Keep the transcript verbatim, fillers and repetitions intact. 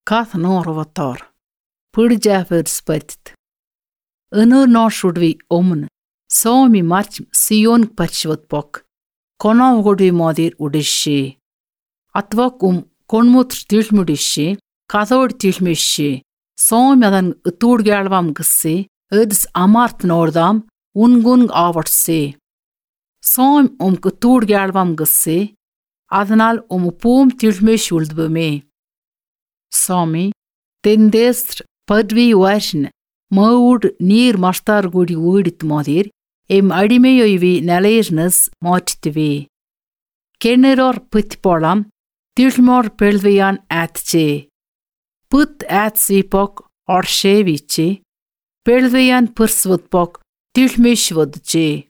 Cath nor vatar. Pud jaffer spettit. Unur nor should we omen. So mi march Sion patchwat pok. Konav would we modir udishi. Atvak um konmut tilmudishi. Kathod tilmishi. So medan utud galvam gussi. Uds amart nordam. Ungung avartsi. Som um utud galvam gussi. Adnal um pum tilmish uldbme. Somi. Tendestr padvi washin. Maud near mastar goody woodit modir. Em adimeyoivi nalaisness mottivi. Kenneror putpolam. Tilmor pelvian atche. Put at sipok or shevichi. Pelvian pursvutpok. Tilmish vodche.